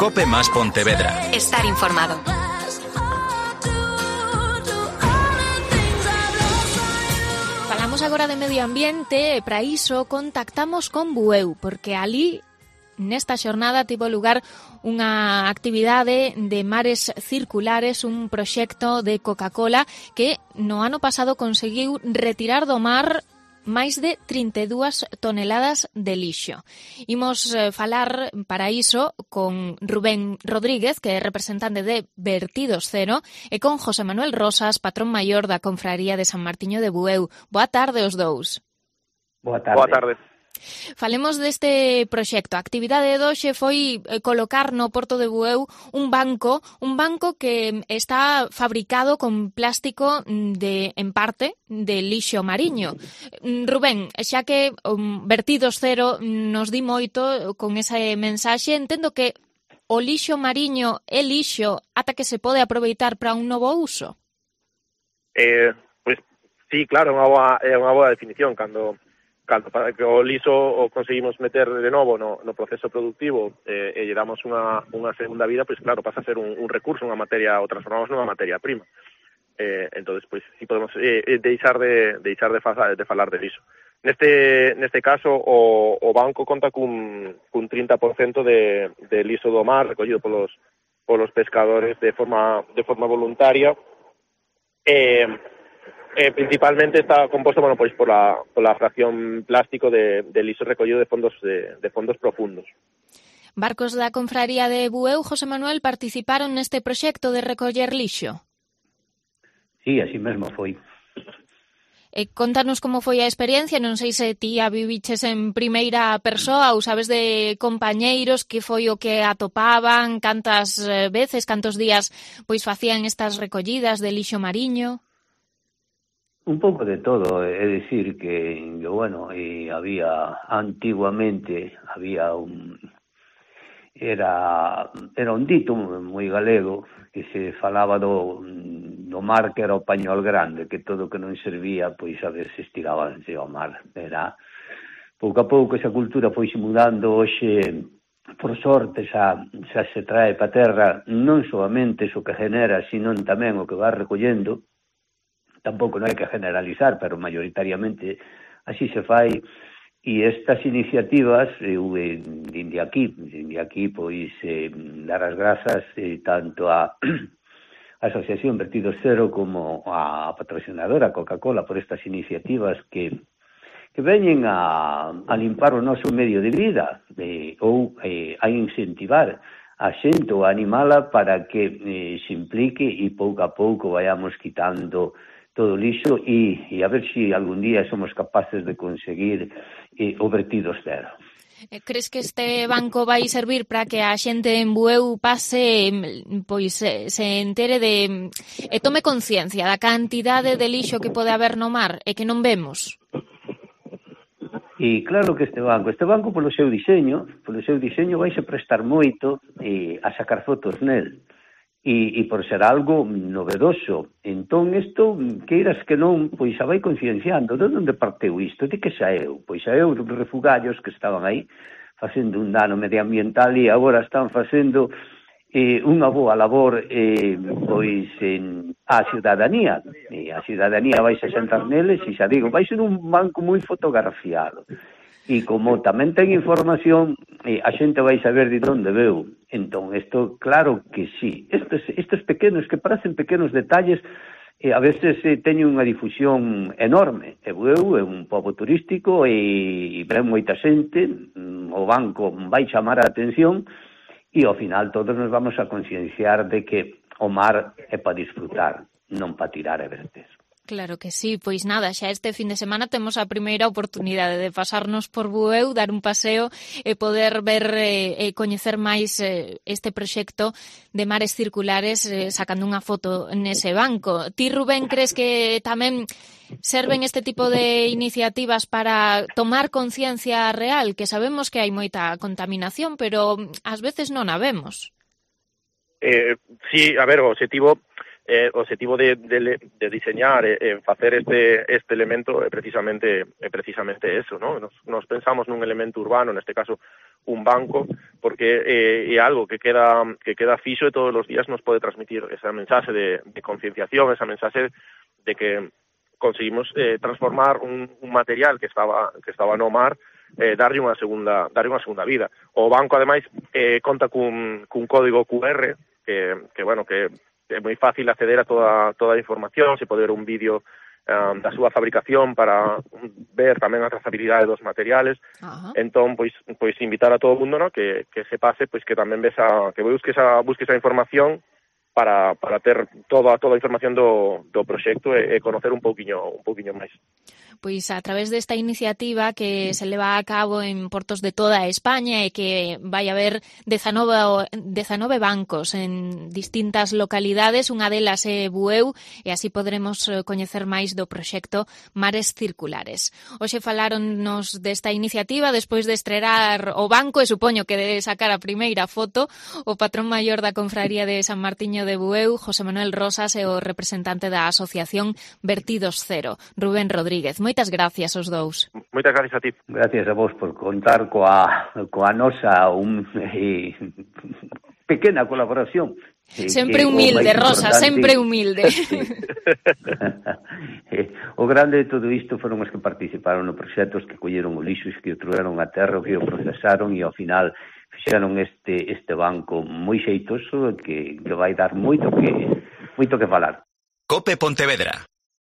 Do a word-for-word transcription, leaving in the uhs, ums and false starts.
Cope más Pontevedra. Estar informado. Falamos agora de medio ambiente e para iso contactamos con Bueu, porque alí nesta xornada tivo lugar unha actividade de mares circulares, un proxecto de Coca-Cola que no ano pasado conseguiu retirar do mar máis de trinta e dúas toneladas de lixo. Imos eh, falar para iso con Rubén Rodríguez, que é representante de Vertidos Cero, e con José Manuel Rosas, patrón maior da Confraría de San Martiño de Bueu. Boa tarde os dous. Boa tarde. Boa tarde. Falemos deste proxecto. A actividade de hoxe foi colocar no Porto de Bueu un banco, un banco que está fabricado con plástico de, en parte, de lixo mariño. Rubén, xa que um, Vertidos Cero nos di moito con ese mensaxe, entendo que o lixo mariño é lixo ata que se pode aproveitar para un novo uso. Eh, pois, sí, claro, é unha boa, é unha boa definición. Cando Cando para que o liso o conseguimos meter de novo no, no proceso productivo eh, e lle damos unha, unha segunda vida, pois claro, pasa a ser un, un recurso, unha materia, o transformamos nunha materia prima. Eh, entonces, pois, si podemos eh, deixar de deixar de, fa, de falar de liso. Neste neste caso, o, o banco conta cun, cun trinta por cento de, de liso do mar, recollido polos, polos pescadores de forma, de forma voluntaria. Eh, Eh, principalmente está composto, bueno, pois por la, por la fracción plástico de, de liso recollido de fondos de, de fondos profundos. Barcos da Confraría de Bueu, José Manuel, participaron neste proxecto de recoller lixo? Sí, así mesmo foi. E contanos como foi a experiencia, non sei se ti a viviches en primeira persoa ou sabes de compañeiros que foi o que atopaban, cantas veces, cantos días pois facían estas recollidas de lixo mariño. Un pouco de todo, é dicir que, que bueno, e había antiguamente había un era era un dito moi galego que se falaba do do mar que era o pañol grande, que todo o que non servía, pois a ver se estirabanse ao mar. Era pouco a pouco esa cultura foi se mudando. Hoxe, por sorte, xa, xa se trae pa terra non solamente o que genera, sino tamén o que va recollendo. Tampouco non hai que generalizar, pero maioritariamente así se fai, e estas iniciativas, eu dende aquí, dende aquí, pois, eh, dar as grazas eh, tanto a Asociación Vertidos Cero como a patrocinadora Coca-Cola por estas iniciativas que que veñen a, a limpar o noso medio de vida, eh, ou eh, a incentivar a xente ou a animala para que eh, se implique e pouco a pouco vayamos quitando todo o lixo e, e a ver se si algún día somos capaces de conseguir eh, o Vertidos Cero. Crees que este banco vai servir para que a xente en Bueu pase, pois se entere de e tome conciencia da cantidade de lixo que pode haber no mar e que non vemos? E claro que este banco, este banco polo seu diseño, polo seu diseño vai se prestar moito eh, a sacar fotos nel. E, e por ser algo novedoso. Entón, isto, queiras que non, pois a vai concienciando. De onde parteu isto? De que saeu? Pois saeu dos refugallos que estaban aí facendo un dano medioambiental e agora están facendo eh, unha boa labor eh, pois en a ciudadanía. E a ciudadanía vai se sentar neles e xa digo, vai ser un banco moi fotografiado. E como tamén ten información, eh, a xente vai saber de onde veu. Entón, isto, claro que sí. Estes, estes pequenos, que parecen pequenos detalles, eh, a veces eh, teñen unha difusión enorme. E Bueu é un pobo turístico e, e ven moita xente, o banco vai chamar a atención e ao final todos nos vamos a concienciar de que o mar é para disfrutar, non para tirar e verter. Claro que sí, pois nada, xa este fin de semana temos a primeira oportunidade de pasarnos por Bueu, dar un paseo e poder ver e eh, coñecer máis eh, este proxecto de mares circulares eh, sacando unha foto nese banco. Ti, Rubén, crees que tamén serven este tipo de iniciativas para tomar conciencia real? Que sabemos que hai moita contaminación, pero ás veces non a vemos. Eh, sí, a ver, o objetivo eh, o objetivo de, de, de diseñar e eh, facer este este elemento é precisamente é precisamente eso, ¿no? Nos, nos pensamos nun elemento urbano, neste caso un banco, porque eh, é algo que queda que queda fixo e todos os días nos pode transmitir esa mensaxe de, de concienciación, esa mensaxe de que conseguimos eh, transformar un, un material que estaba que estaba no mar, eh, darlle unha segunda darlle unha segunda vida. O banco ademais eh, conta cun, cun código cu erre que que bueno, que é moi fácil acceder a toda toda a información, se pode ver un vídeo um, da súa fabricación para ver tamén a trazabilidade dos materiales. Uh-huh. Entón, pois pois invitar a todo o mundo, ¿no?, que que se pase, pois que tamén ves a que busques a busques a información para para ter toda toda a información do do proxecto e, e conocer un pouquiño un pouquiño máis. Pois a través desta iniciativa que se leva a cabo en portos de toda España e que vai haber dezanove bancos en distintas localidades, unha delas é Bueu, e así podremos coñecer máis do proxecto Mares Circulares. Hoxe faláronnos desta iniciativa despois de estrear o banco e supoño que de sacar a primeira foto o patrón maior da Confraría de San Martiño de Bueu, José Manuel Rosas, e o representante da Asociación Vertidos Cero, Rubén Rodríguez. Moitas gracias aos dous. Moitas gracias a ti. Gracias a vos por contar coa, coa nosa un, eh, pequena colaboración. Eh, sempre humilde, Rosa, sempre humilde. Sí. O grande de todo isto foron os que participaron no proxectos, que colleron o lixo, que o trouxeron a terra, que o procesaron e ao final fixeron este este banco moi xeitoso que, que vai dar moito que moito que falar. Cope Pontevedra.